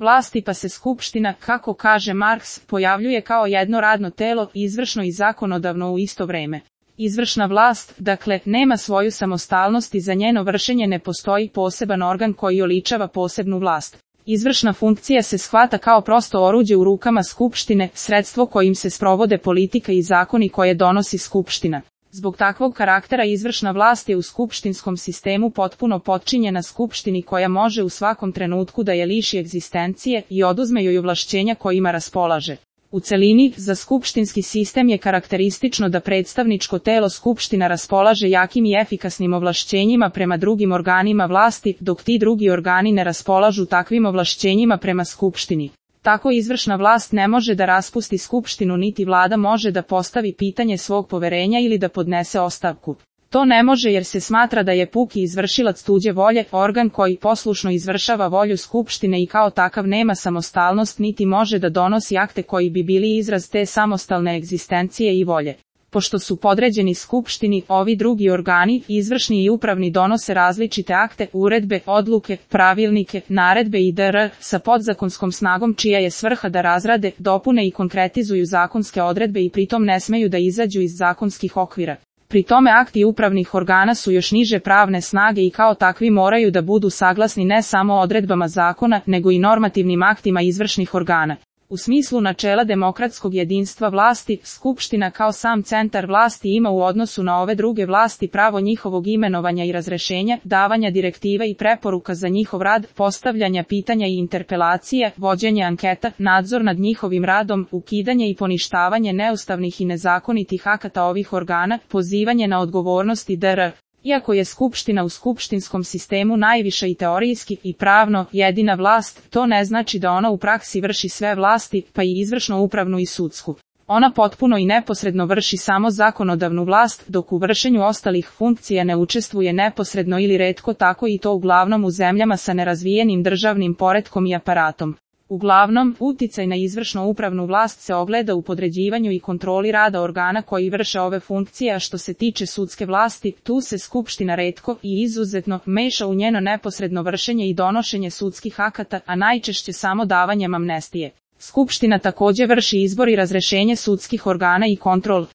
vlasti pa se Skupština, kako kaže Marks, pojavljuje kao jedno radno telo, izvršno i zakonodavno u isto vreme. Izvršna vlast, dakle, nema svoju samostalnost i za njeno vršenje ne postoji poseban organ koji oličava posebnu vlast. Izvršna funkcija se shvata kao prosto oruđe u rukama Skupštine, sredstvo kojim se sprovode politika i zakoni koje donosi Skupština. Zbog takvog karaktera izvršna vlast je u skupštinskom sistemu potpuno potčinjena Skupštini koja može u svakom trenutku da je liši egzistencije i oduzme joj ovlašćenja kojima raspolaže. U celini, za skupštinski sistem je karakteristično da predstavničko telo Skupština raspolaže jakim i efikasnim ovlašćenjima prema drugim organima vlasti, dok ti drugi organi ne raspolažu takvim ovlašćenjima prema Skupštini. Tako izvršna vlast ne može da raspusti Skupštinu niti vlada može da postavi pitanje svog poverenja ili da podnese ostavku. To ne može jer se smatra da je puki izvršilac tuđe volje, organ koji poslušno izvršava volju Skupštine i kao takav nema samostalnost niti može da donosi akte koji bi bili izraz te samostalne egzistencije i volje. Pošto su podređeni Skupštini, ovi drugi organi, izvršni i upravni donose različite akte, uredbe, odluke, pravilnike, naredbe i dr. sa podzakonskom snagom čija je svrha da razrade, dopune i konkretizuju zakonske odredbe i pritom ne smeju da izađu iz zakonskih okvira. Pri tome akti upravnih organa su još niže pravne snage i kao takvi moraju da budu saglasni ne samo odredbama zakona, nego i normativnim aktima izvršnih organa. U smislu načela demokratskog jedinstva vlasti, Skupština kao sam centar vlasti ima u odnosu na ove druge vlasti pravo njihovog imenovanja i razrešenja, davanja direktiva i preporuka za njihov rad, postavljanja pitanja i interpelacija, vođenje anketa, nadzor nad njihovim radom, ukidanje i poništavanje neustavnih i nezakonitih akata ovih organa, pozivanje na odgovornost i dr. Iako je Skupština u skupštinskom sistemu najviša i teorijski i pravno jedina vlast, to ne znači da ona u praksi vrši sve vlasti, pa i izvršno upravnu i sudsku. Ona potpuno i neposredno vrši samo zakonodavnu vlast, dok u vršenju ostalih funkcija ne učestvuje neposredno ili retko tako i to uglavnom u zemljama sa nerazvijenim državnim poretkom i aparatom. Uglavnom, uticaj na izvršno upravnu vlast se ogleda u podređivanju i kontroli rada organa koji vrše ove funkcije, a što se tiče sudske vlasti, tu se Skupština retko i izuzetno meša u njeno neposredno vršenje i donošenje sudskih akata, a najčešće samo davanjem amnestije. Skupština takođe vrši izbor i razrešenje sudskih organa i kontrol.